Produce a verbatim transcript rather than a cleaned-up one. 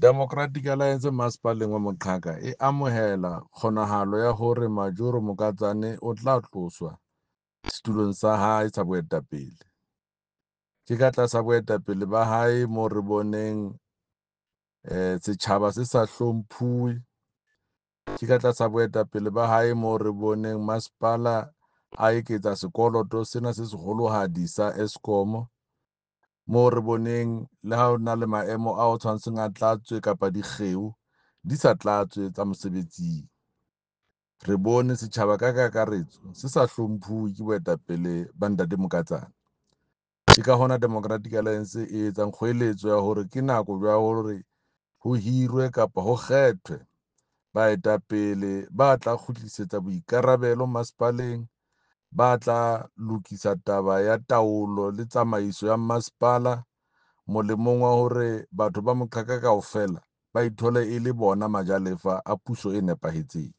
Democratic Alliance Masepaleng wa Moqhaka e amohela kgonahalo ya hore Majoro Mokatsane o tla tloswa setulong sa hae sa boetapele. Ke ka tlasa boetapele ba hae mo re boneng setjhaba se sa hlomphuwe, ke ka tlasa boetapele ba hae mo re boneng masepala a eketsa sekoloto sena se seholohadi sa Eskom. Moo re boneng le ha ho na le maemo ao tshwantseng a tlatswe kapa dikgeo di sa tlatswe tsa mosebetsing. Re bone setjhaba ka kakaretso se sa hlomphuwe ke boetapele ba ntate Mokatsane. Ke ka hona Democratic Alliance e etsang kgoeletso ya hore ke nako ya hore ho hirwe kapa ho kgethwe baetapele ba tla kgutlisetsa boikarabelo masepaleng, ba tla lokisa taba ya taolo le tsamaiso ya masepala molemong wa hore batho ba Moqhaka kaofela ba ithole e le bona majalefa a puso e nepahetseng.